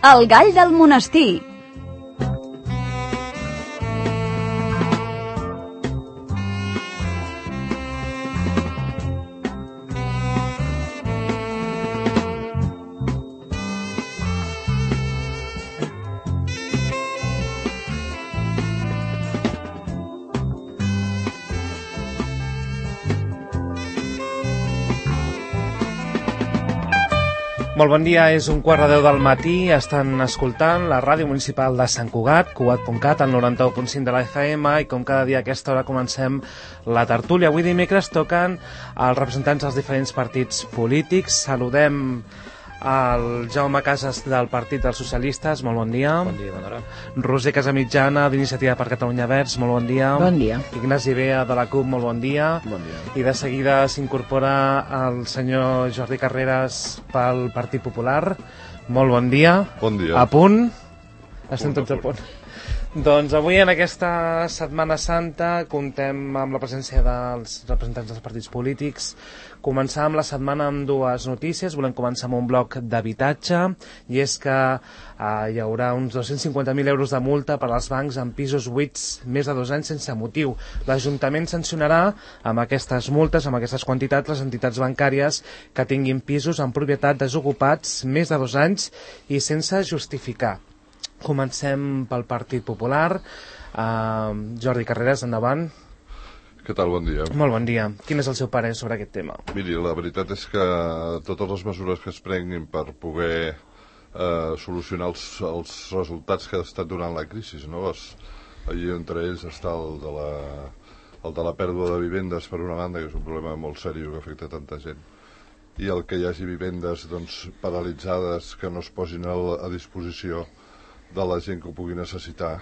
El gall del monestir. Molt bon dia, és 1:15 del matí, estan escoltant la ràdio municipal de Sant Cugat, cugat.cat, al 91.5 de la FM, i com cada dia a aquesta hora comencem la tertúlia. Avui dimecres toquen els representants dels diferents partits polítics. Saludem el Jaume Casas del Partit dels Socialistes, molt bon dia. Bon dia, bona hora. Roser Casamitjana d'Iniciativa per Catalunya Verds, molt bon dia. Bon dia. Ignasi Bea de la CUP, molt bon dia. Bon dia. I de seguida s'incorpora el senyor Jordi Carreras pel Partit Popular. Molt bon dia. Bon dia. A punt? Estem tots a punt. Doncs avui, en aquesta Setmana Santa, comptem amb la presència dels representants dels partits polítics. Començàvem la setmana amb dues notícies. Volem començar amb un bloc d'habitatge, i és que hi haurà uns 250.000 euros de multa per als bancs en pisos buits més de 2 anys sense motiu. L'Ajuntament sancionarà amb aquestes multes, amb aquestes quantitats, les entitats bancàries que tinguin pisos en propietat desocupats més de 2 anys i sense justificar. Comencem pel Partit Popular. Jordi Carreras, endavant. Què tal? Bon dia. Molt bon dia. Quin és el seu parer sobre aquest tema? Miri, la veritat és que totes les mesures que es prenguin per poder solucionar els resultats que ha estat donant la crisi, no? Allí entre ells està el de la pèrdua de vivendes, per una banda, que és un problema molt seriós que afecta tanta gent, i el que hi hagi vivendes paralitzades que no es posin a disposició de la gent que ho pugui necessitar,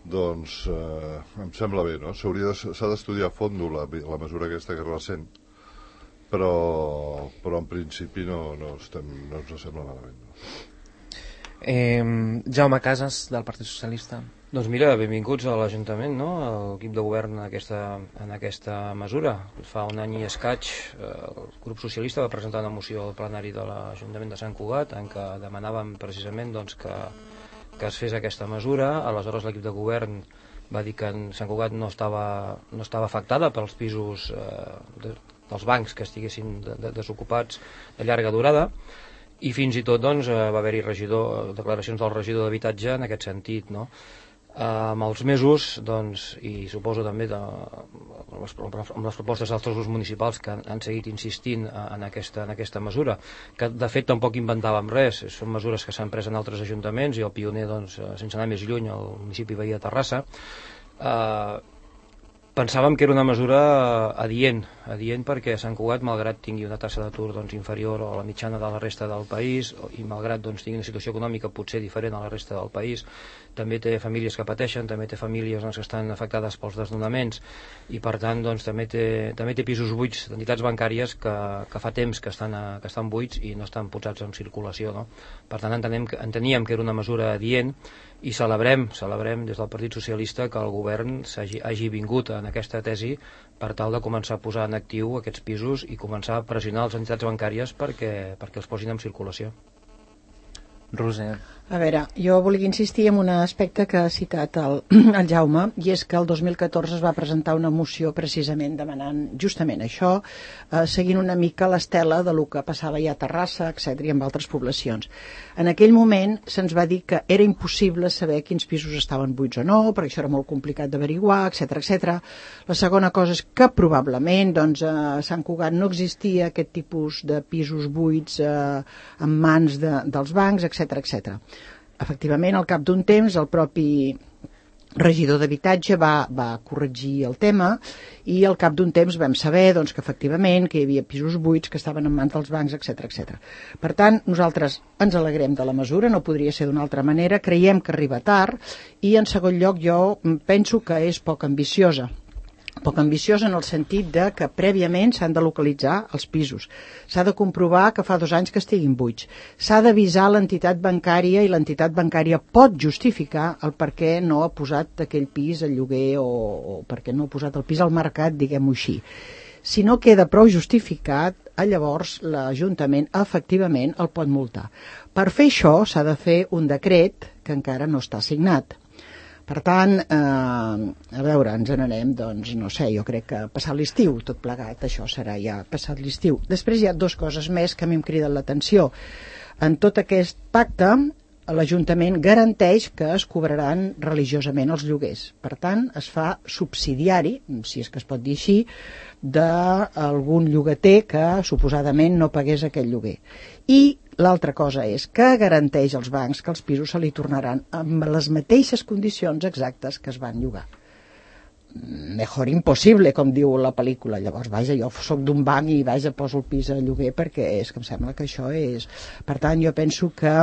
doncs em sembla bé, no? S'ha d'estudiar a fons la mesura aquesta que és recent, però en principi no ens sembla malament. No? Jaume Casas, del Partit Socialista. Doncs mira, benvinguts a l'Ajuntament, no? A l'equip de govern en aquesta mesura. Fa un any i escaig el grup socialista va presentar una moció al plenari de l'Ajuntament de Sant Cugat en què demanàvem precisament que es fes aquesta mesura. Aleshores l'equip de govern va dir que Sant Cugat no estava afectada pels pisos dels bancs que estiguessin desocupats de llarga durada, i fins i tot va haver-hi declaracions del regidor d'habitatge en aquest sentit, no? Amb els mesos, i suposo també amb les propostes d'altres grups municipals que han seguit insistint en aquesta mesura, que de fet tampoc inventàvem res, són mesures que s'han pres en altres ajuntaments, i el pioner, sense anar més lluny, el municipi veí de Terrassa. Pensàvem que era una mesura adient perquè Sant Cugat, malgrat tingui una taxa d'atur inferior a la mitjana de la resta del país, i malgrat tingui una situació econòmica potser diferent a la resta del país, també té famílies que pateixen, també té famílies que estan afectades pels desnonaments, i per tant també té pisos buits d'entitats bancàries que fa temps que estan buits i no estan posats en circulació, no? Per tant enteníem que era una mesura adient, i celebrem des del Partit Socialista que el govern hagi vingut en aquesta tesi per tal de començar a posar en actiu aquests pisos i començar a pressionar les entitats bancàries perquè els posin en circulació. Roser. A veure, jo volia insistir en un aspecte que ha citat el Jaume, i és que el 2014 es va presentar una moció precisament demanant justament això, seguint una mica l'estela de lo que passava ja a Terrassa, etc., i en altres poblacions. En aquell moment se'ns va dir que era impossible saber quins pisos estaven buits o no, perquè això era molt complicat d'averiguar, etc. La segona cosa és que probablement a Sant Cugat no existia aquest tipus de pisos buits en mans dels bancs, etc. Efectivament, al cap d'un temps, el propi regidor d'habitatge va corregir el tema, i al cap d'un temps vam saber que efectivament que hi havia pisos buits que estaven en mans dels bancs, etc. Per tant, nosaltres ens alegrem de la mesura, no podria ser d'una altra manera, creiem que arriba tard, i en segon lloc jo penso que és poc ambiciosa. Poc ambiciosa en el sentit de que prèviament s'han de localitzar els pisos. S'ha de comprovar que fa 2 anys que estiguin buits. S'ha d'avisar l'entitat bancària, i l'entitat bancària pot justificar el per què no ha posat aquell pis al lloguer o per què no ha posat el pis al mercat, diguem-ho així. Si no queda prou justificat, llavors l'Ajuntament efectivament el pot multar. Per fer això s'ha de fer un decret que encara no està signat. Per tant, a veure, ens n'anem, doncs, no sé, jo crec que passat l'estiu, tot plegat, això serà ja passat l'estiu. Després hi ha dues coses més que a mi em criden l'atenció. En tot aquest pacte, l'Ajuntament garanteix que es cobraran religiosament els lloguers. Per tant, es fa subsidiari, si és que es pot dir així, d'algun llogater que suposadament no pagués aquest lloguer. I l'altra cosa és que garanteix als bancs que els pisos se li tornaran amb les mateixes condicions exactes que es van llogar. Mejor impossible, com diu la pel·lícula. Llavors, vaja, jo soc d'un banc i vaja, poso el pis a lloguer perquè és que em sembla que això és... Per tant, jo penso que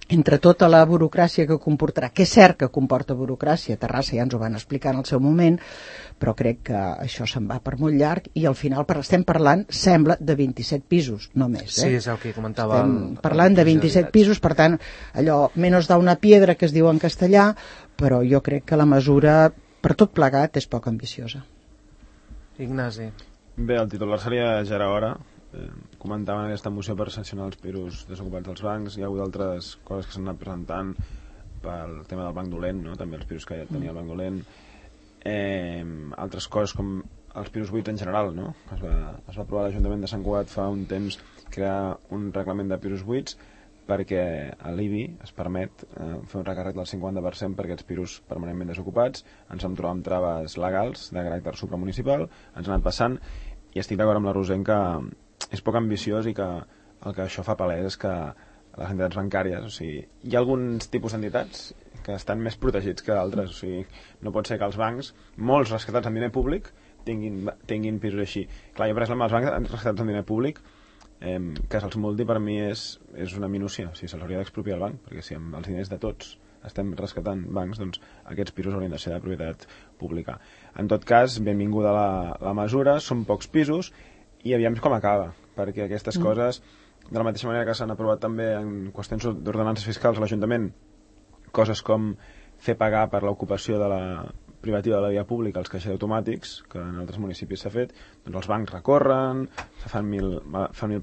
entre tota la burocràcia que comportarà, que és cert que comporta burocràcia, Terrassa ja ens ho van explicar en el seu moment, però crec que això se'n va per molt llarg i al final estem parlant, sembla, de 27 pisos, no més. Sí, és el que comentava. Estem parlant de 27 pisos, per tant, allò, menos da una piedra, que es diu en castellà, però jo crec que la mesura, per tot plegat, és poc ambiciosa. Ignasi. Bé, el titular seria ja era hora. Comentaven aquesta moció per sancionar els pisos desocupats dels bancs. Hi ha hagut altres coses que s'han anat presentant pel tema del banc dolent, no? També els pisos que ja tenia el banc dolent, altres coses com els pisos buits en general, no? Es va aprovar a l'Ajuntament de Sant Cugat fa un temps crear un reglament de pisos buits perquè a l'IBI es permet fer un recàrrec del 50% per aquests pisos permanentment desocupats. Ens vam trobar amb traves legals de caràcter supramunicipal, ens han anat passant, i estic d'acord amb la Roser que és poc ambiciós i que el que això fa palès és que les entitats bancàries, o sigui, hi ha alguns tipus d'entitats que estan més protegits que d'altres, o sigui, no pot ser que els bancs, molts rescatats amb diner públic, tinguin pisos així. Clar, jo per exemple, els bancs rescatats amb diner públic, que se'ls multi per mi és una minúcia, o sigui, se'ls hauria d'expropiar el banc, perquè si amb els diners de tots estem rescatant bancs, doncs aquests pisos haurien de ser de propietat pública. En tot cas, benvinguda la mesura, són pocs pisos, i aviam com acaba, perquè aquestes coses, de la mateixa manera que s'han aprovat també en qüestions d'ordenances fiscals a l'Ajuntament, coses com fer pagar per l'ocupació de la privativa de la via pública els caixers automàtics, que en altres municipis s'ha fet, doncs els bancs recorren, fan mil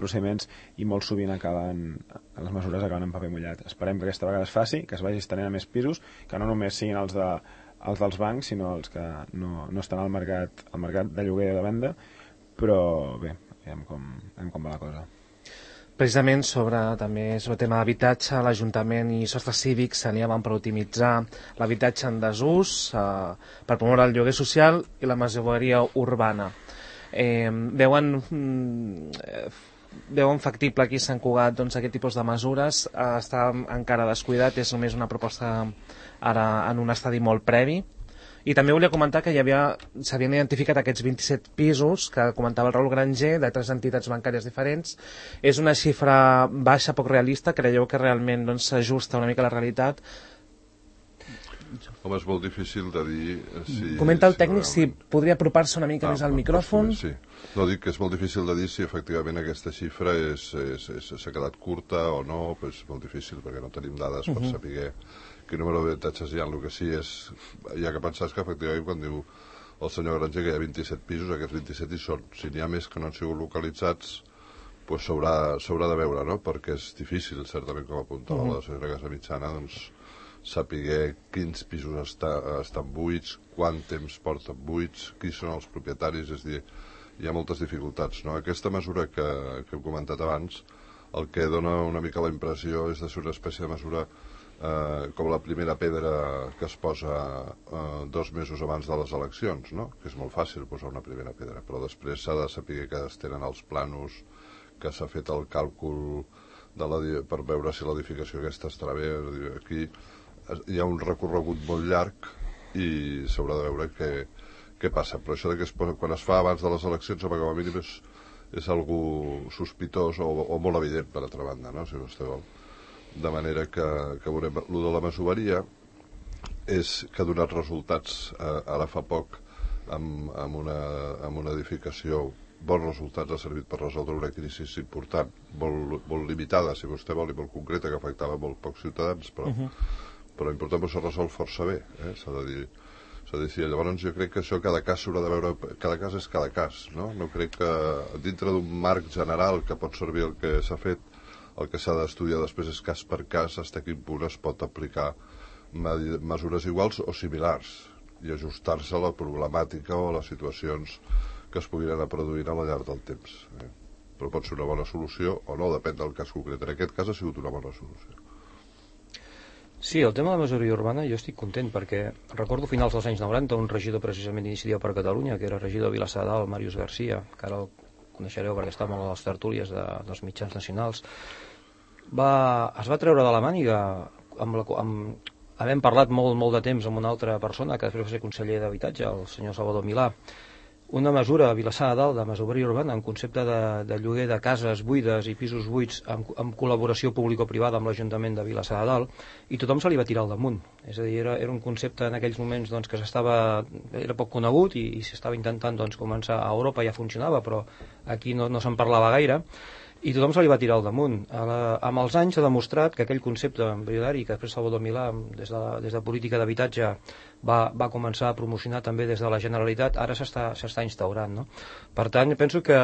procediments i molt sovint les mesures acaben en paper mullat. Esperem que aquesta vegada es faci, que es vagi estenent a més pisos, que no només siguin els dels bancs, sinó els que no estan al mercat de lloguer i de venda, però bé, veiem com va la cosa. Precisament sobre el tema d'habitatge, l'Ajuntament i sostres cívics s'aniaven per optimitzar l'habitatge en desús, per promoure el lloguer social i la masoveria urbana. Veuen factible aquí a Sant Cugat aquest tipus de mesures? Està encara descuidat, és només una proposta ara en un estadi molt previ. I també volia comentar que s'havien identificat aquests 27 pisos que comentava el Raül Granger de 3 entitats bancàries diferents. És una xifra baixa, poc realista? Creieu que realment s'ajusta una mica a la realitat? Home, és molt difícil de dir si... Comenta el tècnic si podria apropar-se una mica més al micròfon. Sí, no, dic que és molt difícil de dir si efectivament aquesta xifra s'ha quedat curta o no, però és molt difícil perquè no tenim dades per saber quin número d'habitatges hi ha. El que sí és, hi ha que pensar que efectivament quan diu el senyor Granger que hi ha 27 pisos, aquests 27 hi són. Si n'hi ha més que no han sigut localitzats, doncs s'haurà de veure, no? Perquè és difícil, certament, com apuntava la senyora Casamitjana, doncs saber quins pisos estan buits, quant temps porten buits, qui són els propietaris, és a dir, hi ha moltes dificultats, no? Aquesta mesura que hem comentat abans, el que dona una mica la impressió és de ser una espècie de mesura com la primera pedra que es posa 2 mesos abans de les eleccions, no? Que és molt fàcil posar una primera pedra, però després s'ha de saber que es tenen els planos, que s'ha fet el càlcul per veure si l'edificació aquesta estarà bé. Aquí hi ha un recorregut molt llarg i s'haurà de veure què passa, però això que quan es fa abans de les eleccions, com a mínim és algú sospitós o molt evident, per altra banda, no? Si vostè vol. De manera que veurem. El de la masoveria és que ha donat resultats ara fa poc amb una edificació, bons resultats, ha servit per resoldre una crisi important, molt limitada, si vostè vol, i molt concreta, que afectava molt pocs ciutadans, però important, però s'ha resolt força bé, s'ha de dir. És a dir, sí, llavors jo crec que això cada cas s'haurà de veure, cada cas és cada cas, no? No crec que dintre d'un marc general que pot servir el que s'ha fet, el que s'ha d'estudiar després és cas per cas fins a quin punt es pot aplicar mesures iguals o similars i ajustar-se a la problemàtica o a les situacions que es puguin anar produint a la llarg del temps. Però pot ser una bona solució o no, depèn del cas concret. En aquest cas ha sigut una bona solució. Sí, el tema de la majoria urbana jo estic content perquè recordo finals dels anys 90 un regidor precisament d'Iniciativa per Catalunya, que era regidor de Vilassar de Dalt, Màrius Garcia, que ara el coneixereu perquè està molt a les tertúlies dels mitjans nacionals, es va treure de la màniga havent parlat molt de temps amb una altra persona que després va ser conseller d'Habitatge, el senyor Salvador Milà, una mesura a Vilassar de Dalt de masoveria urbana en concepte de lloguer de cases buides i pisos buits amb col·laboració público-privada amb l'Ajuntament de Vilassar de Dalt, i tothom se li va tirar al damunt. És a dir, era un concepte en aquells moments doncs, que era poc conegut i s'estava intentant doncs, començar a Europa, ja funcionava, però aquí no se'n parlava gaire, i tothom se li va tirar al damunt. Amb els anys s'ha demostrat que aquell concepte embrionari que després Salvador Milà des de política d'habitatge va començar a promocionar també des de la Generalitat, ara s'està instaurant, no? Per tant, penso que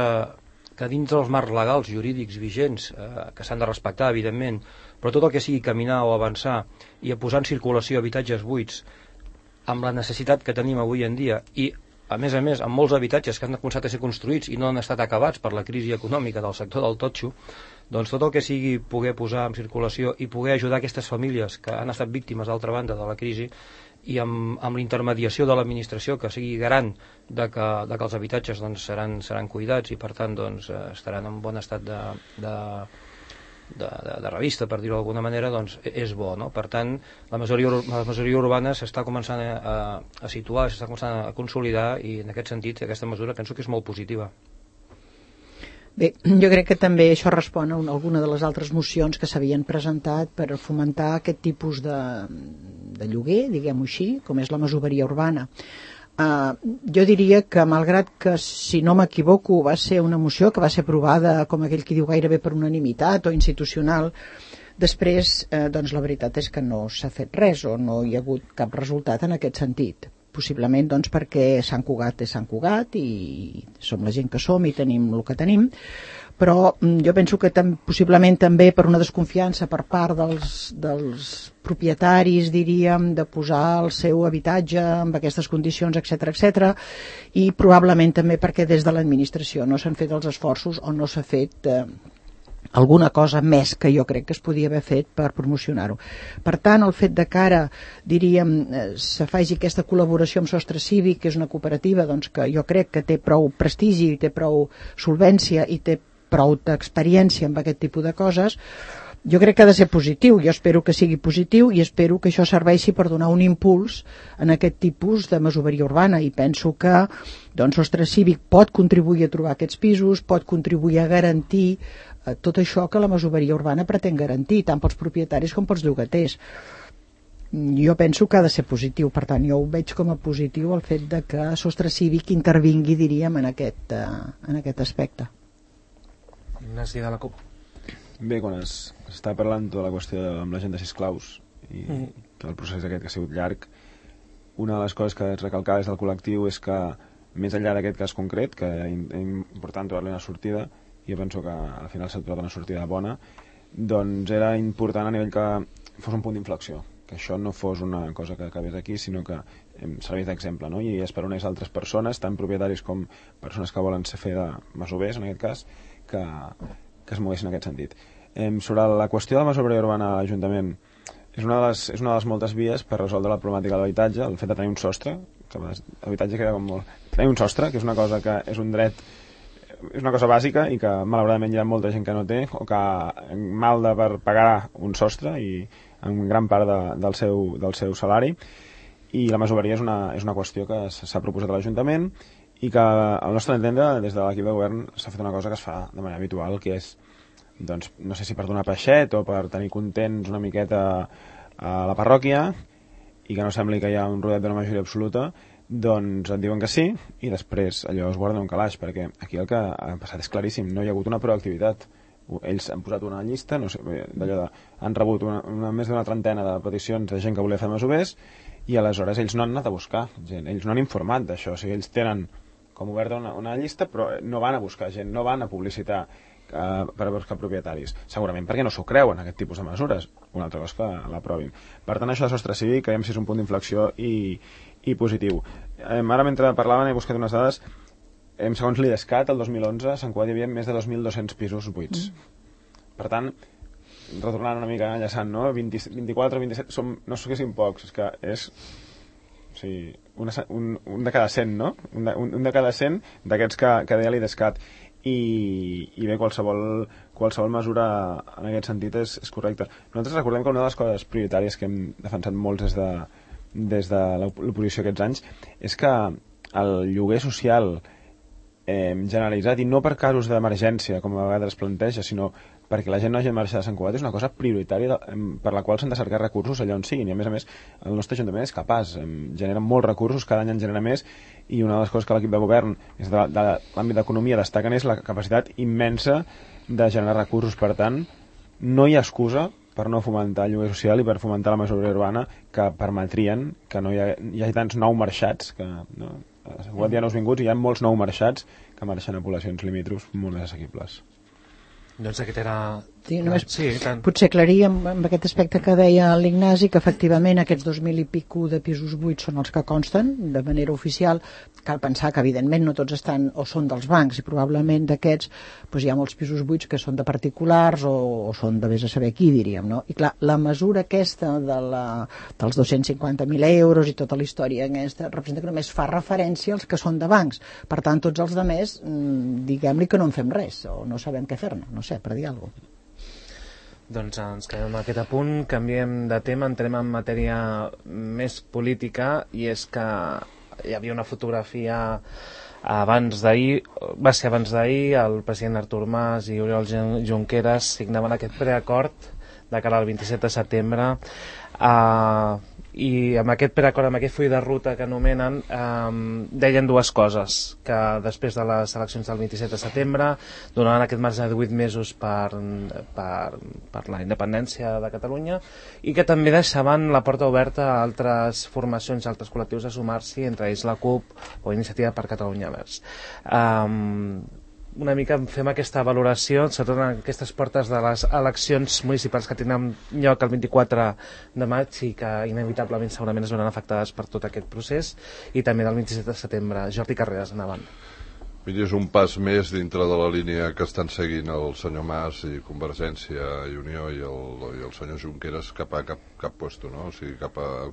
dins dels marcs legals, jurídics, vigents, que s'han de respectar, evidentment, però tot el que sigui caminar o avançar i a posar en circulació habitatges buits amb la necessitat que tenim avui en dia i a més, amb molts habitatges que han començat a ser construïts i no han estat acabats per la crisi econòmica del sector del totxo, doncs tot el que sigui poder posar en circulació i poder ajudar aquestes famílies que han estat víctimes, d'altra banda, de la crisi, i amb la intermediació de l'administració que sigui garant de que els habitatges doncs, seran cuidats i per tant doncs, estaran en bon estat de revista, per dir-ho d'alguna manera, doncs és bo, no? Per tant, la majoria urbana s'està començant a situar, s'està començant a consolidar, i en aquest sentit aquesta mesura penso que és molt positiva. Bé, jo crec que també això respon a alguna de les altres mocions que s'havien presentat per fomentar aquest tipus de lloguer, diguem-ho així, com és la masoveria urbana. Jo diria que, malgrat que, si no m'equivoco, va ser una moció que va ser aprovada, com aquell qui diu, gairebé per unanimitat o institucional, després, doncs la veritat és que no s'ha fet res o no hi ha hagut cap resultat en aquest sentit. Possiblement doncs, perquè Sant Cugat és Sant Cugat i som la gent que som i tenim el que tenim, però jo penso que possiblement també per una desconfiança per part dels propietaris, diríem, de posar el seu habitatge en aquestes condicions, etc, i probablement també perquè des de l'administració no s'han fet els esforços o no s'ha fet alguna cosa més que jo crec que es podia haver fet per promocionar-ho. Per tant, el fet de que ara, diríem, se faci aquesta col·laboració amb Sostre Cívic, que és una cooperativa doncs, que jo crec que té prou prestigi, té prou solvència i té prou d'experiència amb aquest tipus de coses, jo crec que ha de ser positiu. Jo espero que sigui positiu i espero que això serveixi per donar un impuls en aquest tipus de masoveria urbana, i penso que doncs, Sostre Cívic pot contribuir a trobar aquests pisos, pot contribuir a garantir tot això que la masoveria urbana pretén garantir, tant pels propietaris com pels llogaters. Jo penso que ha de ser positiu, per tant jo ho veig com a positiu el fet de que Sostre Cívic intervingui, diríem, en aquest aspecte. Ignasi de la CUP. Bé, quan s'està parlant tota la qüestió amb la gent de Sisclaus i tot el procés aquest que ha sigut llarg, una de les coses que es recalcava des del col·lectiu és que, més enllà d'aquest cas concret, que és important trobar-li una sortida, jo penso que al final s'ha trobat una sortida bona, doncs era important a nivell que fos un punt d'inflexió, que això no fos una cosa que acabés aquí, sinó que servís d'exemple, no? I esperonés altres persones, tant propietaris com persones que volen fer de masovers, en aquest cas, que es moguessin en aquest sentit. Sobre la qüestió de la masoveria urbana a l'Ajuntament, és una de les moltes vies per resoldre la problemàtica de l'habitatge, el fet de tenir un sostre, que l'habitatge queda com molt... Tenir un sostre, que és una cosa que és un dret, és una cosa bàsica i que malauradament hi ha molta gent que no té o que malda per pagar un sostre i en gran part del seu salari, i la masoveria és una qüestió que s'ha proposat a l'Ajuntament i que, al nostre entendre, des de l'equip de govern s'ha fet una cosa que es fa de manera habitual, que és, doncs, no sé si per donar peixet o per tenir contents una miqueta a la parròquia i que no sembli que hi ha un rodet d'una majoria absoluta, doncs et diuen que sí i després allò es guarda un calaix, perquè aquí el que ha passat és claríssim, no hi ha hagut una proactivitat. Ells han posat una llista, no sé, d'allò han rebut més d'una trentena de peticions de gent que volia fer masovers i aleshores ells no han anat a buscar gent, ells no han informat d'això, o sigui, ells tenen com oberta una llista, però no van a buscar gent, no van a publicitar per a buscar propietaris, segurament perquè no s'ho creuen aquest tipus de mesures, una altra cosa que l'aprovin. Per tant, això de sostre cívic creiem que és un punt d'inflexió i positiu. Ara, mentre parlaven, he buscat unes dades. Segons l'IDESCAT, el 2011 a Sant Cugat hi havia més de 2.200 pisos buits. Per tant, retornant una mica enllaçant, no? 24 o 27, no sé que siguin pocs, és que és... O sigui, un de cada 100, no? Un de cada 100 d'aquests que deia l'IDESCAT. I bé, qualsevol mesura en aquest sentit és correcta. Nosaltres recordem que una de les coses prioritàries que hem defensat molts des de l'oposició aquests anys és que el lloguer social generalitzat, i no per casos d'emergència com a vegades es planteja, sinó perquè la gent no hagi de marxar de Sant Cugat, és una cosa prioritària per la qual s'han de cercar recursos allà on siguin, i a més el nostre Ajuntament és capaç, genera molts recursos, cada any en genera més, i una de les coses que l'equip de govern des de l'àmbit d'economia destaquen és la capacitat immensa de generar recursos. Per tant, no hi ha excusa per no fomentar el lloguer social i per fomentar la majoria urbana que permetrien que no hi hagi tants nou marxats que, no? A Sant Cugat hi ha nous vinguts i hi ha molts nous marxats que marxen a poblacions limítrofs molt més assequibles. Doncs aquest era... Sí, només tant. Potser aclarir amb aquest aspecte que deia l'Ignasi, que efectivament aquests 2.000 i pico de pisos buits són els que consten de manera oficial. Cal pensar que evidentment no tots estan o són dels bancs, i probablement d'aquests doncs hi ha molts pisos buits que són de particulars o són de vés a saber qui, diríem, no? I clar, la mesura aquesta dels 250.000 euros i tota la història aquesta representa que només fa referència als que són de bancs. Per tant, tots els altres, diguem-li que no en fem res o no sabem què fer-ne, no sé, per dir alguna cosa. Doncs ens quedem amb aquest apunt, canviem de tema, entrem en matèria més política, i és que hi havia una fotografia va ser abans d'ahir, el president Artur Mas i Oriol Junqueras signaven aquest preacord de cara al 27 de setembre, i amb aquest preacord, amb aquest full de ruta que anomenen, deien dues coses: que després de les eleccions del 27 de setembre donaven aquest marge de 8 mesos per la independència de Catalunya, i que també deixaven la porta oberta a altres formacions, a altres col·lectius a sumar-s'hi, entre ells la CUP o Iniciativa per Catalunya Verds. Una mica fem aquesta valoració, sobretot en aquestes portes de les eleccions municipals que tindran lloc el 24 de maig i que inevitablement segurament es veuran afectades per tot aquest procés, i també del 27 de setembre. Jordi Carreras, endavant. Mira, és un pas més dintre de la línia que estan seguint el senyor Mas i Convergència i Unió i el senyor Junqueras cap a cap puesto, no? O sigui,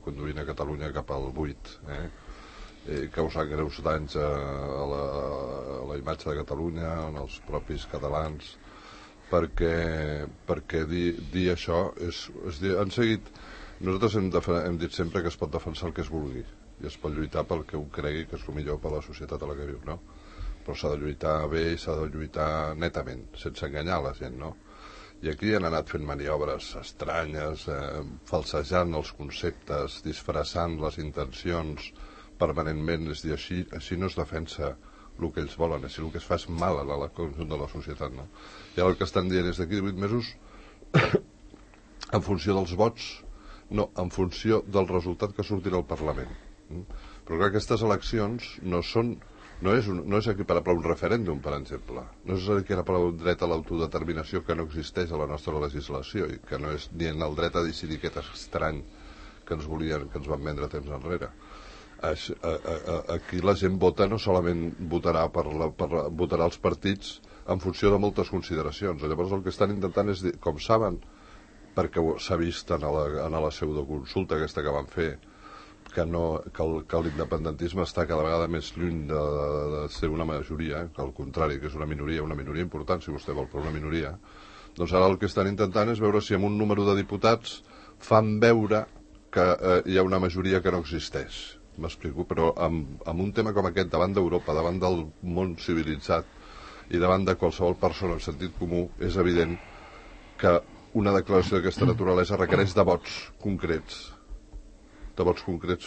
conduint a Catalunya cap al buit, causant greus danys a la imatge de Catalunya, als propis catalans, perquè dir això han seguit. Nosaltres hem dit sempre que es pot defensar el que es vulgui i es pot lluitar pel que un cregui que és el millor per a la societat a la que viu, no? Però s'ha de lluitar bé i s'ha de lluitar netament, sense enganyar la gent, no? I aquí han anat fent maniobres estranyes, falsejant els conceptes, disfressant les intencions permanentment. És dir, així no es defensa el que ells volen, així el que es fa és mal a la conjunt de la societat, no? I ara el que estan dient és d'aquí 18 mesos en funció dels vots, no, en funció del resultat que sortirà al Parlament. Però clar, aquestes eleccions no és equiparable a un referèndum, per exemple, no és equiparable a un dret a l'autodeterminació que no existeix a la nostra legislació i que no és ni en el dret a decidir aquest estrany que ens van vendre temps enrere. Aquí la gent vota, no solament votarà votarà els partits en funció de moltes consideracions. Llavors el que estan intentant és dir, com saben, perquè s'ha vist en la pseudoconsulta aquesta que van fer, que l'independentisme està cada vegada més lluny de ser una majoria, que al contrari, que és una minoria important, si vostè vol, però una minoria. Doncs ara el que estan intentant és veure si amb un número de diputats fan veure que hi ha una majoria que no existeix. M'explico, però amb un tema com aquest, davant d'Europa, davant del món civilitzat i davant de qualsevol persona en sentit comú, és evident que una declaració d'aquesta naturalesa requereix de vots concrets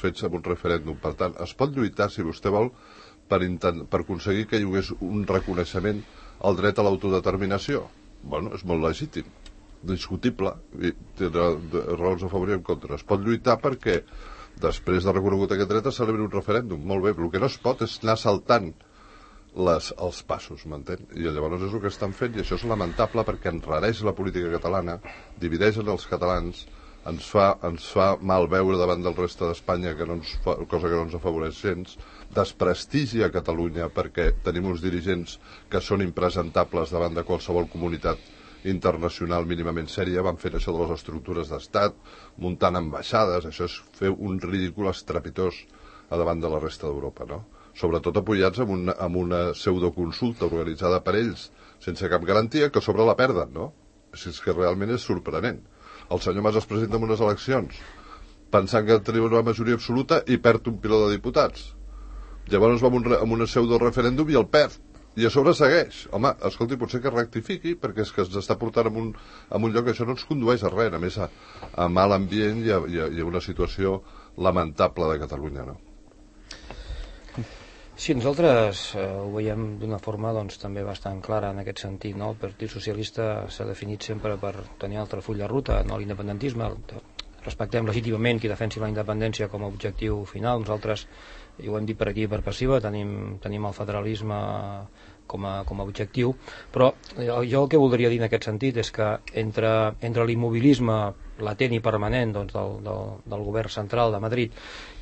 fets en un referèndum. Per tant, es pot lluitar, si vostè vol, per aconseguir que hi hagués un reconeixement al dret a l'autodeterminació. Bueno, és molt legítim, discutible, i té raons a favor i en contra. Es pot lluitar perquè després de reconegut aquest dret, es celebri un referèndum. Molt bé, però el que no es pot és anar saltant els passos, m'entén? I llavors és el que estan fent, i això és lamentable perquè enrareix la política catalana, divideix els catalans, ens fa mal veure davant del reste d'Espanya, cosa que no ens afavoreix gens, desprestigia Catalunya perquè tenim uns dirigents que són impresentables davant de qualsevol comunitat internacional mínimament sèria. Van fer això de les estructures d'estat, muntant ambaixades, això és fer un ridícul estrepitós a davant de la resta d'Europa, no? Sobretot apoyats amb una pseudoconsulta organitzada per ells sense cap garantia, que a sobre la perden, no? Així és que realment és sorprenent. El senyor Mas es presenta en unes eleccions pensant que tenia una majoria absoluta i perd un piló de diputats. Llavors va amb un pseudo-referèndum i el perd. I a sobre segueix. Home, escolti, potser que rectifiqui, perquè és que ens està portant en un lloc que això no ens condueix a res, a més a mal ambient i a una situació lamentable de Catalunya, no? Sí, nosaltres ho veiem d'una forma doncs, també bastant clara en aquest sentit, no? El Partit Socialista s'ha definit sempre per tenir un altre full de ruta, no l'independentisme. Respectem legítimament qui defensi la independència com a objectiu final. Nosaltres, i ho hem dit per aquí per passiva, tenim el federalisme com a objectiu, però jo el que voldria dir en aquest sentit és que entre l'immobilisme latent i permanent doncs, del govern central de Madrid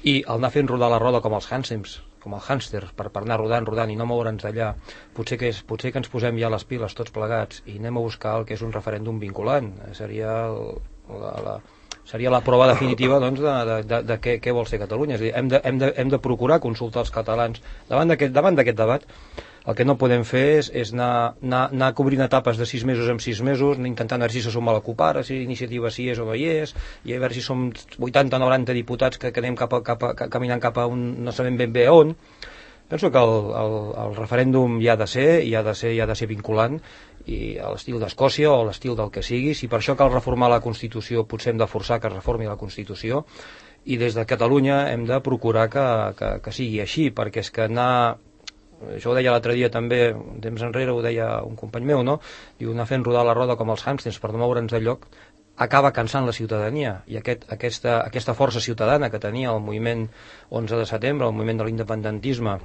i el anar fent rodar la roda com els hàmsters per anar rodant i no moure'ns d'allà, potser que ens posem ja les piles tots plegats i anem a buscar el que és un referèndum vinculant. Seria la prova definitiva doncs, de què vol ser Catalunya. És a dir, hem de procurar consultar els catalans davant d'aquest debat. El que no podem fer és anar cobrint etapes de 6 mesos en 6 mesos, intentant veure si se suma la CUP ara, si iniciativa sí és o no hi és, i a veure si som 80 o 90 diputats que anem caminant cap a un no sabem ben bé on. Penso que el referèndum hi ha de ser vinculant, i a l'estil d'Escòcia o a l'estil del que sigui. Si per això cal reformar la Constitució, potser hem de forçar que es reformi la Constitució, i des de Catalunya hem de procurar que sigui així, perquè és que això ho deia l'altre dia també, un temps enrere ho deia un company meu, no? Diu, anar fent rodar la roda com els hàmsters per no moure'ns de lloc acaba cansant la ciutadania, i aquesta força ciutadana que tenia el moviment 11 de setembre, el moviment de l'independentisme,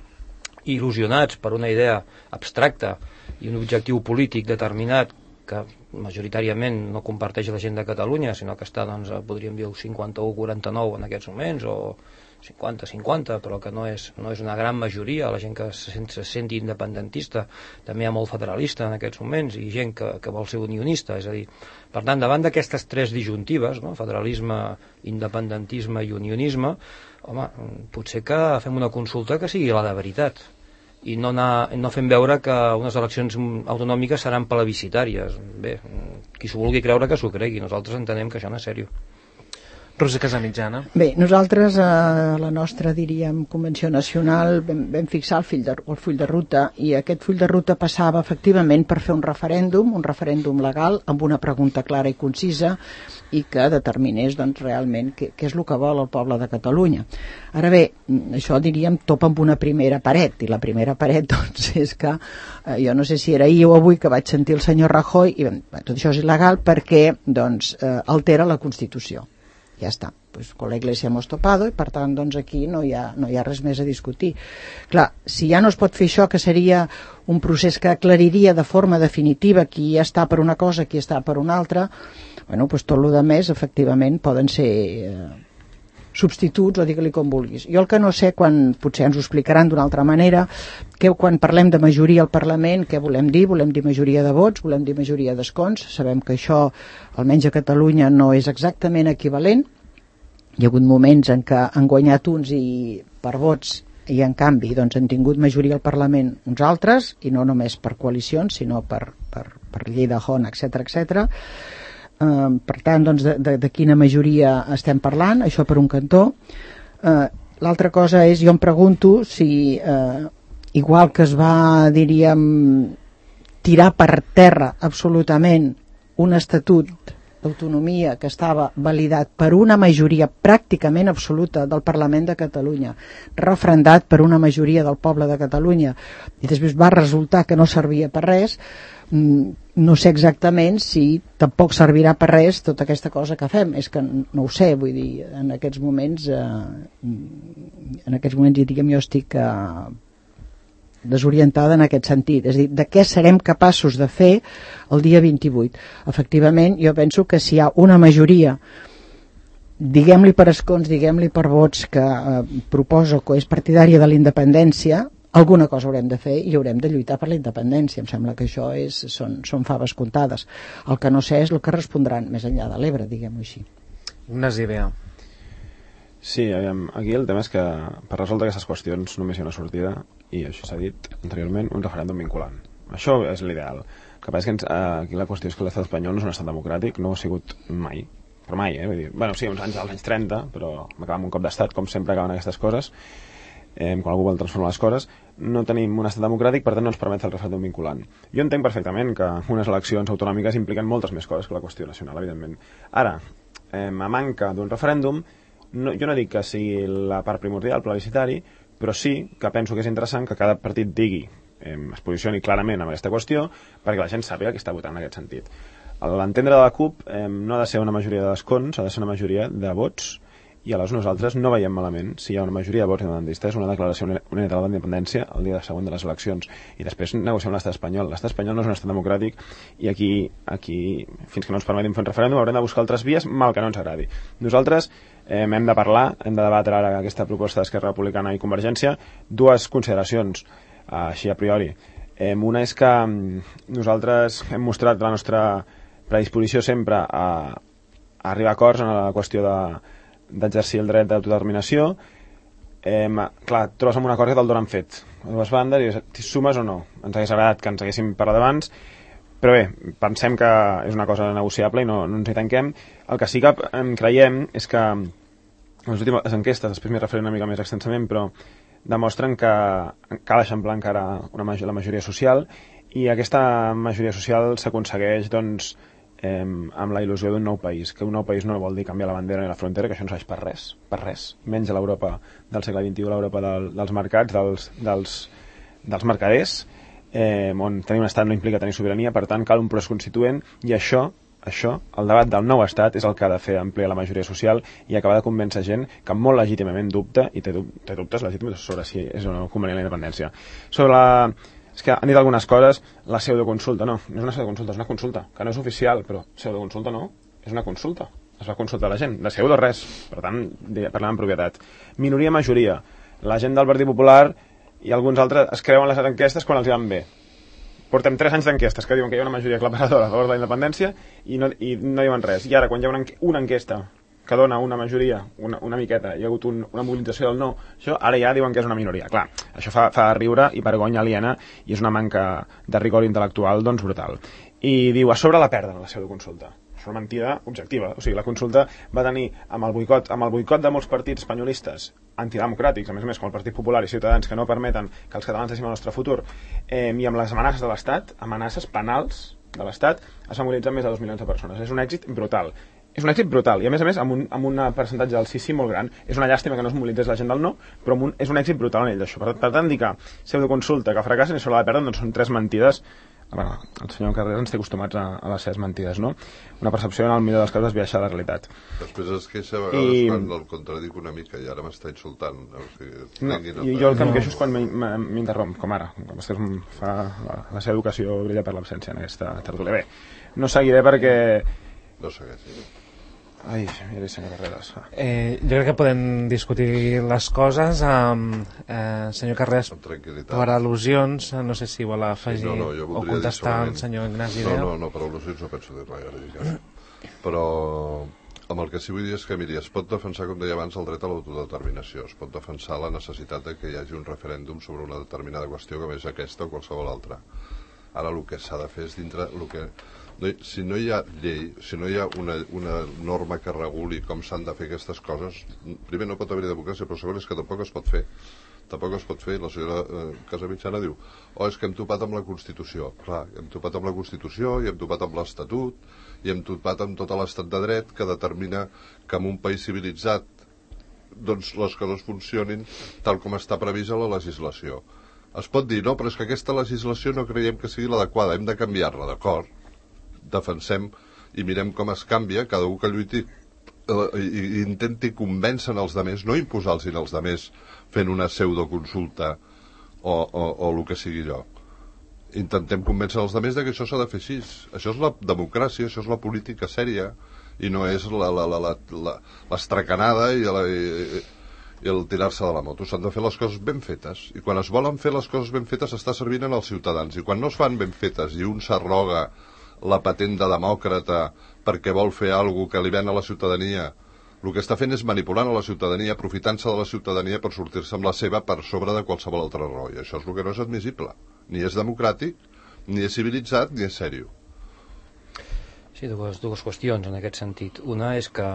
il·lusionats per una idea abstracta i un objectiu polític determinat que majoritàriament no comparteix la gent de Catalunya, sinó que està, doncs, podríem dir, 51-49 en aquests moments, o 50-50, però que no és una gran majoria, la gent que se senti independentista. També hi ha molt federalista en aquests moments i gent que vol ser unionista. És a dir, per tant, davant d'aquestes tres disjuntives, no? Federalisme, independentisme i unionisme, home, potser que fem una consulta que sigui la de veritat i no fem veure que unes eleccions autonòmiques seran plebiscitàries. Bé, qui s'ho vulgui creure que s'ho cregui, nosaltres entenem que això no és seriós. Roser Casamitjana. Bé, nosaltres a la nostra, diríem, convenció nacional vam fixar el full de ruta, i aquest full de ruta passava efectivament per fer un referèndum legal amb una pregunta clara i concisa i que determinés, doncs, realment què és el que vol el poble de Catalunya. Ara bé, això, diríem, topa amb una primera paret, i la primera paret, doncs, és que jo no sé si era ahir o avui que vaig sentir el senyor Rajoy i tot això és il·legal perquè, doncs, altera la Constitució. Ja està, pues con la Iglesia hemos topado, i per tant, doncs, aquí no hi ha res més a discutir. Clar, si ja no es pot fer això, que seria un procés que aclariria de forma definitiva qui està per una cosa, qui està per una altra, bueno, pues tot el de més, efectivament, poden ser substituts, o digue-li com vulguis. Jo el que no sé, potser ens ho explicaran d'una altra manera, que quan parlem de majoria al Parlament, què volem dir? Volem dir majoria de vots, volem dir majoria d'escons. Sabem que això, almenys a Catalunya, no és exactament equivalent. Hi ha hagut moments en què han guanyat uns i per vots, i en canvi doncs, han tingut majoria al Parlament uns altres, i no només per coalicions, sinó per llei de Hon, etc. Per tant, doncs, de quina majoria estem parlant, això per un cantó. L'altra cosa és, jo em pregunto si, igual que es va, diríem, tirar per terra absolutament un estatut d'autonomia que estava validat per una majoria pràcticament absoluta del Parlament de Catalunya, referendat per una majoria del poble de Catalunya, i després va resultar que no servia per res, no sé exactament si tampoc servirà per res tota aquesta cosa que fem, és que no ho sé, vull dir, en aquests moments diguem, jo estic desorientada en aquest sentit, és a dir, de què serem capaços de fer el dia 28. Efectivament, jo penso que si hi ha una majoria, diguem-li per escons, diguem-li per vots, que proposa que és partidària de la independència, alguna cosa haurem de fer i haurem de lluitar per la independència. Em sembla que això són faves comptades. El que no sé és el que respondran més enllà de l'Ebre, diguem-ho així. Unes idees. Sí, aquí el tema és que per resoldre aquestes qüestions només hi ha una sortida, i això s'ha dit anteriorment, un referèndum vinculant. Això és l'ideal. El que passa és que aquí la qüestió és que l'estat espanyol no és un estat democràtic, no ho ha sigut mai, però mai, vull dir, bueno, sí, als anys 30, però m'acaba amb un cop d'estat, com sempre acaben aquestes coses, quan algú vol transformar les coses. No tenim un estat democràtic, per tant no ens permet fer el referèndum vinculant. Jo entenc perfectament que unes eleccions autonòmiques impliquen moltes més coses que la qüestió nacional, evidentment. Ara, a manca d'un referèndum, jo no dic que sigui la part primordial, plebiscitari, però sí que penso que és interessant que cada partit digui, es posicioni clarament amb aquesta qüestió, perquè la gent sàpiga que està votant en aquest sentit. L'entendre de la CUP no ha de ser una majoria d'escons, ha de ser una majoria de vots, i aleshores nosaltres no veiem malament si hi ha una majoria de vots independentistes, una declaració unilateral d'independència el dia següent de les eleccions, i després negociem l'estat espanyol. L'estat espanyol no és un estat democràtic, i aquí fins que no ens permetin fer un referèndum haurem de buscar altres vies, mal que no ens agradi. Nosaltres hem de parlar, hem de debatre ara aquesta proposta d'Esquerra Republicana i Convergència. Dues consideracions així a priori. Una és que nosaltres hem mostrat la nostra predisposició sempre a arribar a acords en la qüestió d'exercir el dret d'autodeterminació. Clar, trobes amb un acord que te'l donen fet a dues bandes i sumes o no. Ens hagués agradat que ens haguéssim parlat abans, però bé, pensem que és una cosa negociable i no ens hi tanquem. El que sí que creiem és que les últimes enquestes, després m'hi referiré una mica més extensament, però demostren que cal eixamplar encara la majoria social, i aquesta majoria social s'aconsegueix doncs amb la il·lusió d'un nou país, que un nou país no vol dir canviar la bandera ni la frontera, que això no serveix per res, menys a l'Europa del segle XXI, l'Europa dels mercats, dels mercaders, on tenir un estat no implica tenir sobirania, per tant cal un procés constituent, i això, el debat del nou estat és el que ha de fer ampliar la majoria social i acabar de convèncer gent que molt legítimament dubta, i té dubtes legítims sobre si és o no convenient la independència. És que han dit algunes coses, la pseudoconsulta, no és una pseudoconsulta, és una consulta, que no és oficial, però pseudoconsulta no, és una consulta, es va consultar la gent, de pseudo res, per tant, parlem en propietat. Minoria-majoria, la gent del Partit Popular i alguns altres es creuen les enquestes quan els van bé. Portem 3 anys d'enquestes que diuen que hi ha una majoria aclaparadora a favor de la independència i no diuen res, i ara quan hi ha una enquesta que dona una majoria, una miqueta, hi ha hagut una mobilització del no, això ara ja diuen que és una minoria. Clar, això fa riure i vergonya aliena, i és una manca de rigor intel·lectual doncs brutal. I diu, a sobre la perden, la pseudoconsulta. És una mentida objectiva. O sigui, la consulta va tenir amb el boicot de molts partits espanyolistes antidemocràtics, a més com el Partit Popular i Ciutadans, que no permeten que els catalans deixin el nostre futur, i amb les amenaces de l'Estat, amenaces penals de l'Estat, es va mobilitzar més de 2 milions de persones. És un èxit brutal. És un èxit brutal, i a més amb un percentatge del sí molt gran. És una llàstima que no es mobilitzés la gent del no, però és un èxit brutal en ell d'això. Per tant, dir que pseudoconsulta, que fracassen i sobre la perden, doncs són 3 mentides. Bueno, el senyor Carreras ens té acostumats a les seves mentides, no? Una percepció en el millor dels casos desviaixar de la realitat. Després es queixa a vegades quan el contradic una mica, i ara m'està insultant. O sigui, jo el que em queixo és quan m'interromp, com ara. Vostè fa la seva educació brilla per l'absència en aquesta tertúlia. Bé, no seguiré perquè... No segueixi. Ai, mira, senyor Carreras. Jo crec que podem discutir les coses senyor Carreras, per al·lusions, no sé si vol afegir o contestar al senyor Ignasi. No, per al·lusions no penso dir res, però amb el que sí vull dir és que, miri, es pot defensar, com deia abans, el dret a l'autodeterminació, es pot defensar la necessitat de que hi hagi un referèndum sobre una determinada qüestió, com és aquesta o qualsevol altra. Ara el que s'ha de fer és dintre el que... Si no hi ha llei, si no hi ha una norma que reguli com s'han de fer aquestes coses, primer no pot haver democràcia, però segon és que tampoc es pot fer. Tampoc es pot fer. La senyora Casamitjana diu, és que hem topat amb la Constitució. Clar, hem topat amb la Constitució i hem topat amb l'Estatut i hem topat amb tot l'estat de dret que determina que en un país civilitzat doncs les coses funcionin tal com està prevista la legislació. Es pot dir, no, però és que aquesta legislació no creiem que sigui l'adequada, hem de canviar-la, d'acord? defensem i mirem com es canvia, cada un que lluiti i intenti convèncer els altres, no imposar-los als altres fent una pseudoconsulta o el que sigui allò. Intentem convèncer els altres que això s'ha de fer així. Això és la democràcia, això és la política sèria, i no és l'estracanada i el tirar-se de la moto. S'han de fer les coses ben fetes, i quan es volen fer les coses ben fetes s'està servint als ciutadans, i quan no es fan ben fetes i un s'arroga la patent de demòcrata perquè vol fer alguna que li ven a la ciutadania, el que està fent és manipulant a la ciutadania, aprofitant-se de la ciutadania per sortir-se amb la seva per sobre de qualsevol altra raó, i això és el que no és admissible. Ni és democràtic, ni és civilitzat, ni és sèrio. Sí, dues qüestions en aquest sentit. Una és que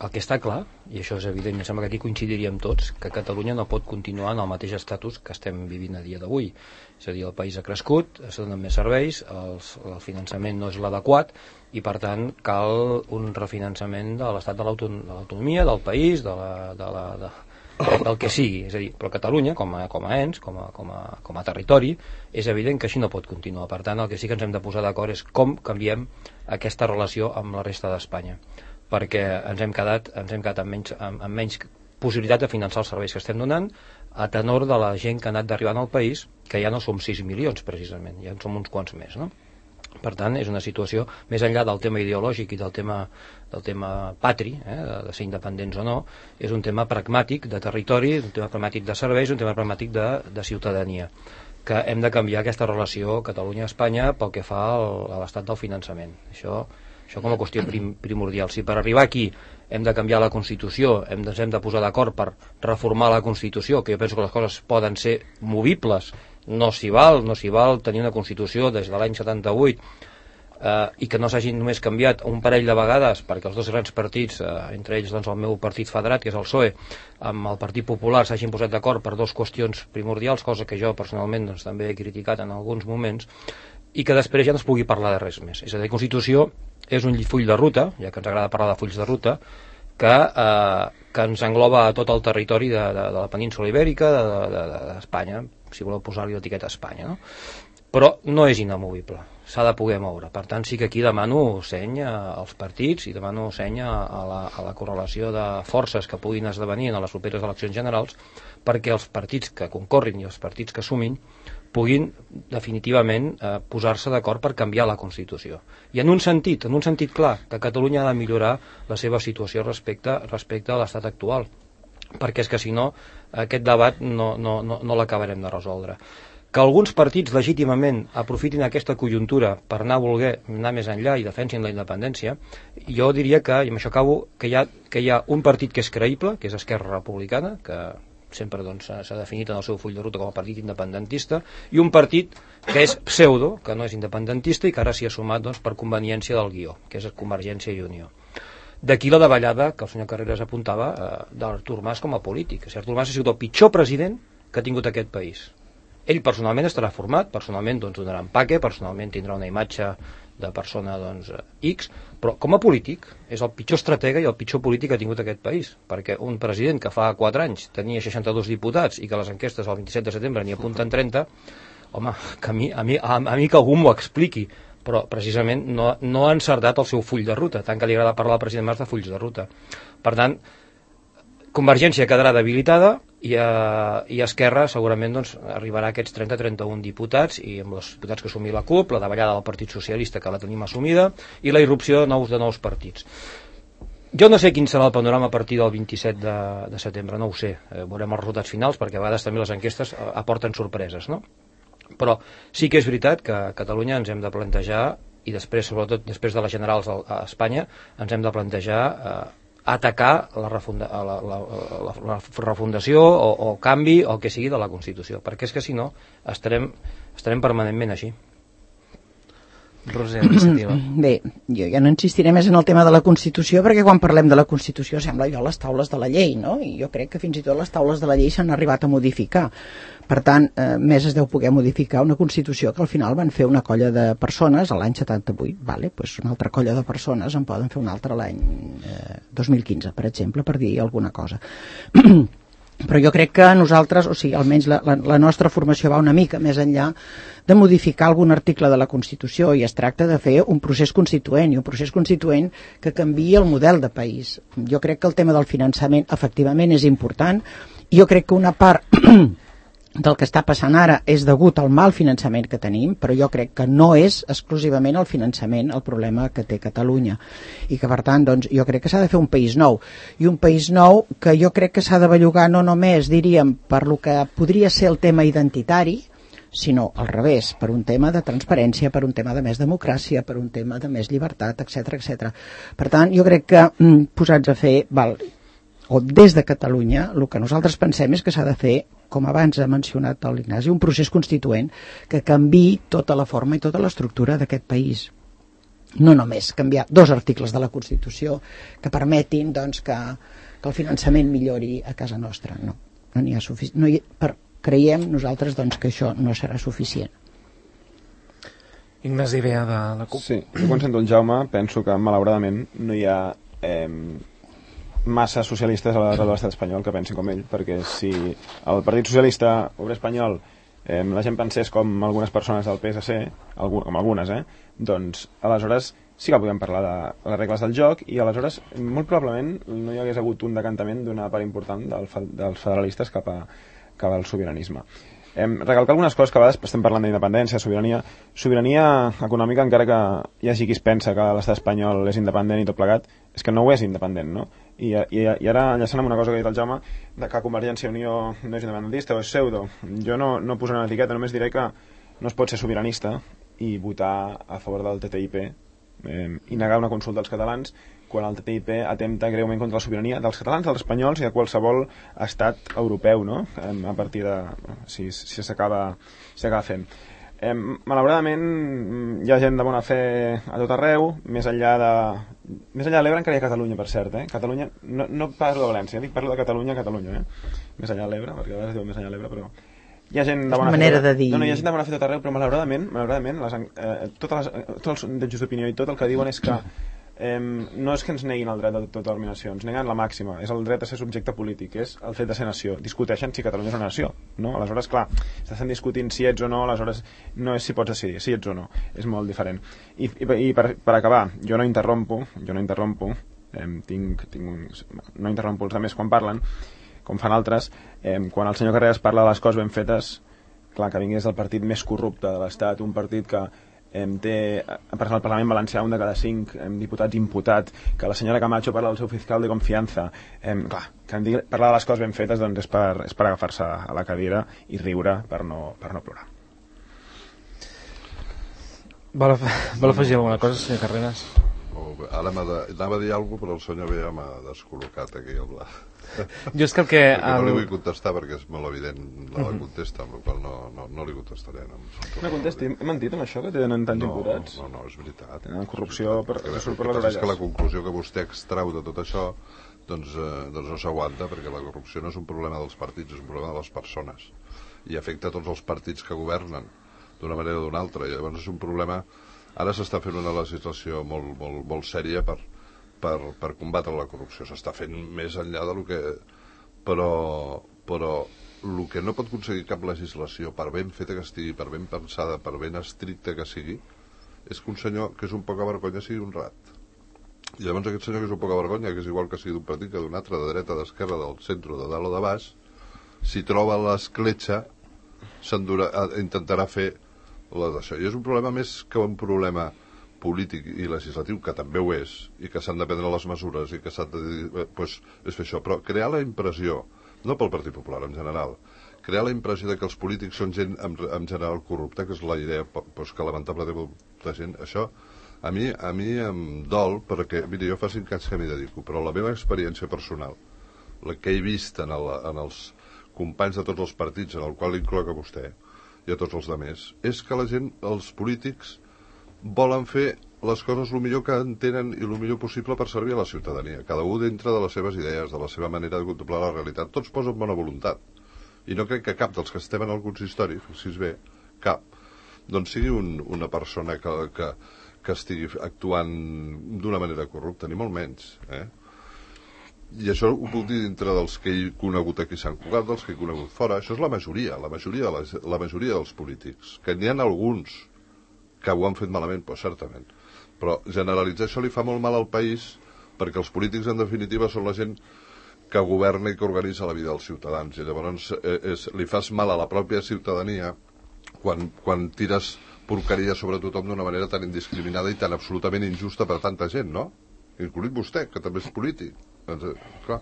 el que està clar, i això és evident, em sembla que aquí coincidiríem tots, que Catalunya no pot continuar en el mateix estatus que estem vivint a dia d'avui. És a dir, el país ha crescut, es donen més serveis, el finançament no és l'adequat, i per tant cal un refinançament de l'estat de l'autonomia, del país, del que sigui. És a dir, però Catalunya, com a ens, com a territori, és evident que així no pot continuar. Per tant, el que sí que ens hem de posar d'acord és com canviem aquesta relació amb la resta d'Espanya, perquè ens hem quedat amb menys possibilitat de finançar els serveis que estem donant, a tenor de la gent que ha anat arribant al país, que ja no som 6 milions precisament, ja en som uns quants més, no? Per tant, és una situació, més enllà del tema ideològic i del tema patri, de ser independents o no, és un tema pragmàtic de territori, un tema pragmàtic de serveis, un tema pragmàtic de ciutadania, que hem de canviar aquesta relació Catalunya-Espanya pel que fa a l'estat del finançament. Això com a qüestió primordial. Si per arribar aquí hem de canviar la Constitució, ens hem de posar d'acord per reformar la Constitució, que jo penso que les coses poden ser movibles, no s'hi val tenir una Constitució des de l'any 78 i que no s'hagin només canviat un parell de vegades perquè els dos grans partits, entre ells doncs, el meu partit federat, que és el PSOE, amb el Partit Popular s'hagin posat d'acord per dues qüestions primordials, cosa que jo personalment doncs, també he criticat en alguns moments, i que després ja no es pugui parlar de res més. És a dir, la Constitució és un full de ruta, ja que ens agrada parlar de fulls de ruta, que ens engloba a tot el territori de la península ibèrica, d'Espanya, si voleu posar-li l'etiqueta Espanya, no? Però no és inamovible, s'ha de poder moure. Per tant, sí que aquí demano seny als partits i demano seny a la correlació de forces que puguin esdevenir en les properes eleccions generals, perquè els partits que concorrin i els partits que sumin puguin definitivament posar-se d'acord per canviar la Constitució. I en un sentit clar, que Catalunya ha de millorar la seva situació respecte a l'estat actual, perquè és que si no aquest debat no l'acabarem de resoldre. Que alguns partits legítimament aprofitin aquesta conjuntura per voler anar més enllà i defensin la independència, jo diria que, i amb això acabo, que hi ha un partit que és creïble, que és Esquerra Republicana, que sempre s'ha definit en el seu full de ruta com a partit independentista, i un partit que és pseudo, que no és independentista i que ara s'hi ha sumat per conveniència del guió, que és Convergència i Unió. D'aquí la davallada que el senyor Carreras apuntava d'Artur Mas com a polític. Artur Mas ha sigut el pitjor president que ha tingut aquest país. Ell personalment estarà format, personalment donarà empaque, personalment tindrà una imatge de persona X, però com a polític és el pitjor estratega i el pitjor polític que ha tingut aquest país, perquè un president que fa 4 anys tenia 62 diputats i que les enquestes el 27 de setembre n'hi apunten 30, home, que a mi que algú m'ho expliqui, però precisament no ha encertat el seu full de ruta, tant que li agrada parlar al president Mas de fulls de ruta. Per tant, Convergència quedarà debilitada i Esquerra segurament arribarà a aquests 30-31 diputats, i amb els diputats que assumir la CUP, la davallada del Partit Socialista que la tenim assumida i la irrupció de nous partits. Jo no sé quin serà el panorama a partir del 27 de setembre, no ho sé, veurem els resultats finals perquè a vegades també les enquestes aporten sorpreses, no? Però sí que és veritat que a Catalunya ens hem de plantejar, i després, sobretot després de les generals a Espanya, ens hem de plantejar atacar la refundació o canvi o el que sigui de la Constitució, perquè és que si no estarem permanentment així. Roser, iniciativa. Bé, jo ja no insistiré més en el tema de la Constitució, perquè quan parlem de la Constitució sembla allò les taules de la llei, no? I jo crec que fins i tot les taules de la llei s'han arribat a modificar. Per tant, més es deu poder modificar una Constitució que al final van fer una colla de persones a l'any 78, vale? Pues una altra colla de persones en poden fer una altra l'any 2015, per exemple, per dir alguna cosa. Però jo crec que nosaltres, o sigui, almenys la nostra formació va una mica més enllà de modificar algun article de la Constitució, i es tracta de fer un procés constituent, i un procés constituent que canviï el model de país. Jo crec que el tema del finançament efectivament és important, i jo crec que una part del que està passant ara és degut al mal finançament que tenim, però jo crec que no és exclusivament el finançament el problema que té Catalunya, i que per tant doncs, jo crec que s'ha de fer un país nou, i un país nou que jo crec que s'ha de bellugar no només, diríem, per lo que podria ser el tema identitari, sinó al revés, per un tema de transparència, per un tema de més democràcia, per un tema de més llibertat, etc etc. Per tant, jo crec que posats a fer, o des de Catalunya, el que nosaltres pensem és que s'ha de fer, com abans ha mencionat l'Ignasi, un procés constituent que canviï tota la forma i tota l'estructura d'aquest país. No només canviar 2 articles de la Constitució que permetin doncs, que el finançament millori a casa nostra. No n'hi ha suficient. Creiem nosaltres doncs, que això no serà suficient. Ignasi Bea de la CUP. Sí, jo quan sento el Jaume penso que malauradament no hi ha massa socialistes a l'estat espanyol que pensin com ell, perquè si el Partit Socialista Obrer Espanyol la gent pensés com algunes persones del PSC, com algunes, doncs aleshores sí que podem parlar de les regles del joc, i aleshores molt probablement no hi hagués hagut un decantament d'una part important dels federalistes cap al sobiranisme. Recalcar algunes coses que a vegades estem parlant d'independència, sobirania econòmica, encara que hi hagi qui es pensa que l'estat espanyol és independent i tot plegat, és que no ho és independent, no? I ara enllaçant amb una cosa que ha dit el Jaume, que Convergència i Unió no és independentista o és pseudo, jo no posaré una etiqueta, només diré que no es pot ser sobiranista i votar a favor del TTIP i negar una consulta als catalans quan el TTIP atempta greument contra la sobirania dels catalans, dels espanyols i de qualsevol estat europeu, no? A partir de... si s'acaba fent. Malauradament hi ha gent de bona fe a tot arreu, més enllà de l'Ebre encara hi ha Catalunya, per cert, Catalunya, no parlo de València, parlo de Catalunya, més enllà de l'Ebre, perquè a vegades diu més enllà de l'Ebre, però hi ha gent de bona fe. No, hi ha gent de bona fe a tot arreu, però malauradament tots els sondejos d'opinió i tot el que diuen és que no és que ens neguin el dret d'autodeterminació, ens neguen la màxima, és el dret a ser subjecte polític, és el fet de ser nació. Discuteixen si Catalunya és una nació, no? Aleshores, clar, estan discutint si ets o no, aleshores no és si pots decidir, si ets o no, és molt diferent. I per acabar, jo no interrompo, no interrompo els altres quan parlen, com fan altres, quan el senyor Carreras parla de les coses ben fetes, clar, que vingués del partit més corrupte de l'Estat, un partit que té, per exemple, al Parlament Valencià, un de cada 5 diputats imputat, que la senyora Camacho parla del seu fiscal de confiança, clar, que parlar de les coses ben fetes doncs és per agafar-se a la cadira i riure per no plorar. Vol afegir alguna cosa, senyor Carreras? Ara anava a dir alguna cosa, però el senyor Bea m'ha descol·locat aquí al bla. Jo és que no li vull contestar perquè és molt evident la contesta, amb la qual no li contestaré. No contesti, he mentit amb això que tenen tants imputats? No, és veritat. Tenen corrupció que surt per les orelles. És que la conclusió que vostè extrau de tot això doncs no s'aguanta, perquè la corrupció no és un problema dels partits, és un problema de les persones i afecta tots els partits que governen d'una manera o d'una altra, i llavors és un problema. Ara s'està fent una legislació molt sèria per combatre la corrupció, s'està fent més enllà de lo que... Però el que no pot aconseguir cap legislació, per ben feta que estigui, per ben pensada, per ben estricta que sigui, és que un senyor que és un poca vergonya sigui un rat. I llavors aquest senyor que és un poca vergonya, que és igual que sigui d'un partit que d'un altre, de dreta, d'esquerra, del centre, de dalt o de baix, si troba l'escletxa intentarà fer la d'això. I és un problema més que un problema polític i legislatiu, que també ho és, i que s'han de prendre les mesures i que s'ha de dir, és fer això, però crear la impressió, no pel Partit Popular en general, crear la impressió de que els polítics són gent en general corrupta, que és la idea que lamentablement té molta gent, això a mi em dol, perquè miri, jo fa 5 anys que m'hi dedico, però la meva experiència personal, la que he vist en els companys de tots els partits, en el qual incloc a vostè i a tots els altres, és que la gent, els polítics, volen fer les coses el millor que entenen i el millor possible per servir a la ciutadania. Cada un dintre de les seves idees, de la seva manera de contemplar la realitat. Tots posen bona voluntat. I no crec que cap dels que estem en el consistori, fixi's bé, cap, doncs sigui una persona que estigui actuant d'una manera corrupta, ni molt menys. I això ho puc dir dintre dels que he conegut aquí a Sant Cugat, dels que he conegut fora. Això és la majoria dels polítics. Que n'hi ha alguns que ho han fet malament, doncs certament. Però generalitzar això li fa molt mal al país, perquè els polítics, en definitiva, són la gent que governa i que organitza la vida dels ciutadans. I llavors li fas mal a la pròpia ciutadania quan tires porqueria sobre tothom d'una manera tan indiscriminada i tan absolutament injusta per tanta gent, no? Incluït vostè, que també és polític. Clar,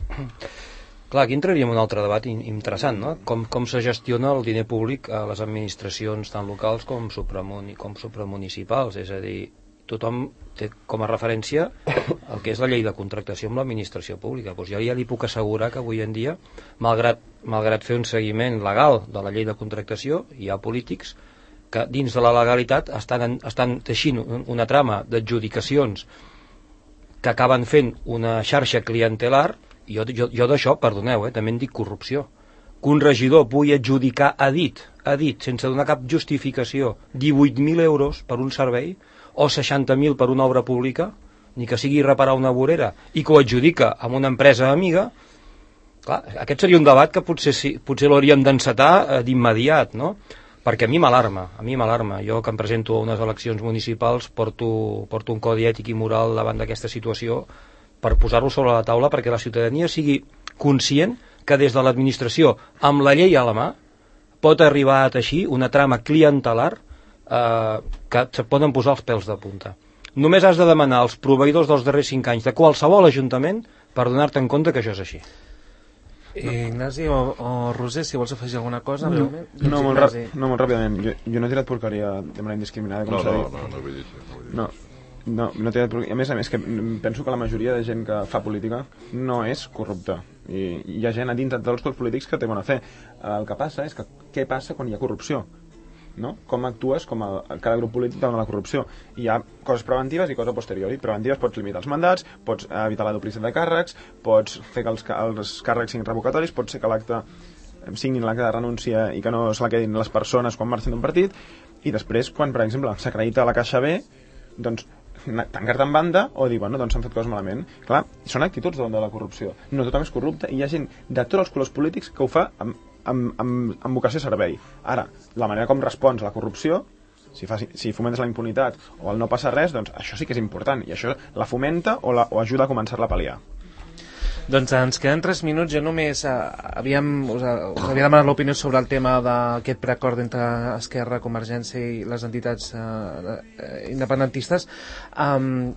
aquí entraríem en un altre debat interessant, no? Com se gestiona el diner públic a les administracions tant locals com supramunicipals, és a dir, tothom té com a referència el que és la llei de contractació amb l'administració pública. Doncs jo ja li puc assegurar que avui en dia, malgrat fer un seguiment legal de la llei de contractació, hi ha polítics que dins de la legalitat estan teixint una trama d'adjudicacions que acaben fent una xarxa clientelar. Jo d'això, perdoneu, també en dic corrupció. Que un regidor pugui adjudicar a dit, sense donar cap justificació, 18.000 euros per un servei o 60.000 per una obra pública, ni que sigui reparar una vorera, i que ho adjudica amb una empresa amiga, clar, aquest seria un debat que potser l'hauríem d'encetar d'immediat, no? Perquè a mi m'alarma. Jo, que em presento a unes eleccions municipals, porto un codi ètic i moral davant d'aquesta situació per posar-lo sobre la taula perquè la ciutadania sigui conscient que des de l'administració, amb la llei a la mà, pot arribar a teixir una trama clientelar que se poden posar els pèls de punta. Només has de demanar als proveïdors dels darrers 5 anys de qualsevol ajuntament per donar-te en compte que això és així. Ignasi o Roser, si vols afegir alguna cosa. No, molt ràpidament. Jo no he tirat porqueria de manera indiscriminada, com s'ha dit. No vull dir això. No he tirat porqueria. A més, que penso que la majoria de gent que fa política no és corrupta. I hi ha gent a dintre dels grups polítics que té bona fe. El que passa és que què passa quan hi ha corrupció? No? Com actues com cada grup polític davant de la corrupció. Hi ha coses preventives i coses a posteriori. Preventives, pots limitar els mandats, pots evitar la duplicitat de càrrecs, pots fer que els càrrecs siguin revocatoris, pots fer que signin l'acte de renúncia i que no se la quedin les persones quan marxen d'un partit, i després, quan, per exemple, s'acredita la Caixa B, doncs tancar-te en banda o dir, bueno, doncs s'han fet coses malament. Clar, són actituds davant de la corrupció. No tothom és corrupte, i hi ha gent de tots els colors polítics que ho fa amb vocació de servei. Ara, la manera com respons a la corrupció, si fomentes la impunitat o el no passa res, doncs això sí que és important, i això la fomenta o ajuda a començar-la a pal·liar. Doncs ens queden 3 minuts. Jo només us havia demanat l'opinió sobre el tema d'aquest preacord entre Esquerra, Convergència i les entitats independentistes.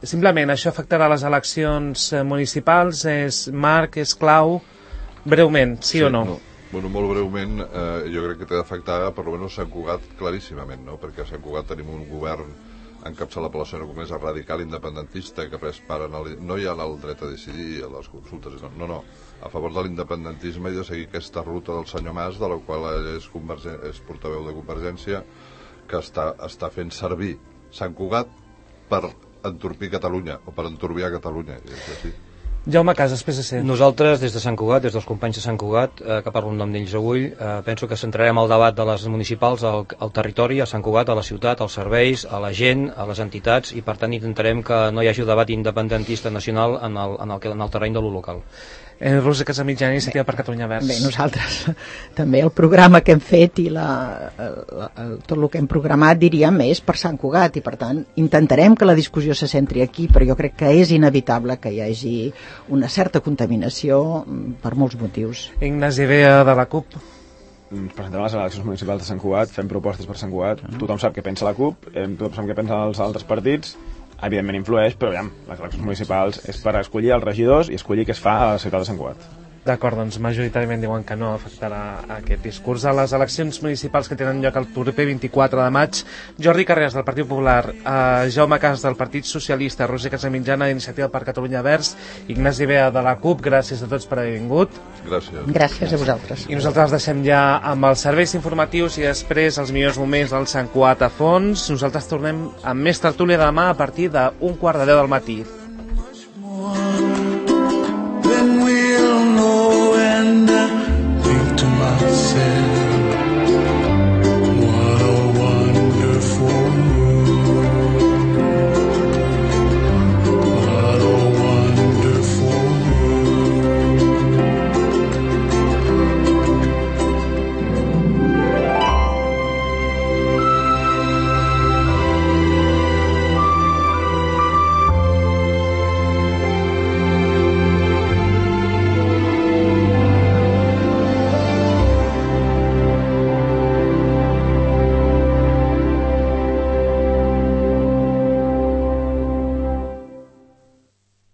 Simplement, això afectarà les eleccions municipals? Marc, és clau? Breument, sí o no? Bueno, molt breument, jo crec que té d'afectar per almenys Sant Cugat claríssimament, no? Perquè a Sant Cugat tenim un govern encapçalat per la senyora Comesa radical independentista que no hi ha el dret a decidir a les consultes, no, a favor de l'independentisme i de seguir aquesta ruta del senyor Mas, de la qual ell és portaveu de Convergència, que està fent servir Sant Cugat per entorpir Catalunya o per enturbiar Catalunya, és així. Jaume Casas, PSC. Nosaltres, des de Sant Cugat, des dels companys de Sant Cugat, que parlo en nom d'ells avui, penso que centrarem el debat de les municipals al territori, a Sant Cugat, a la ciutat, als serveis, a la gent, a les entitats, i per tant intentarem que no hi hagi debat independentista nacional en el terreny de lo local. Roser Casamitjana, Iniciativa per Catalunya Verds. Bé, nosaltres també el programa que hem fet i tot el que hem programat, diríem, és per Sant Cugat, i per tant intentarem que la discussió se centri aquí, però jo crec que és inevitable que hi hagi una certa contaminació per molts motius. Ignasi Bea, de la CUP. Ens presentem a les eleccions municipals de Sant Cugat, fem propostes per Sant Cugat, tothom sap què pensa la CUP, tothom sap què pensen els altres partits, evidentment influeix, però aviam, les eleccions municipals és per escollir els regidors i escollir què es fa a la ciutat de Sant Cugat. D'acord, doncs majoritàriament diuen que no afectarà aquest discurs. A les eleccions municipals que tenen lloc el proper 24 de maig, Jordi Carreras, del Partit Popular, Jaume Casas, del Partit Socialista, Roser Casamitjana, d'Iniciativa per Catalunya Verds, Ignasi Bea, de la CUP, gràcies a tots per haver vingut. Gràcies. Gràcies a vosaltres. I nosaltres els deixem ja amb els serveis informatius i després els millors moments del Sant Cugat a fons. Nosaltres tornem amb més tertúlia demà a partir d'1:15 del matí.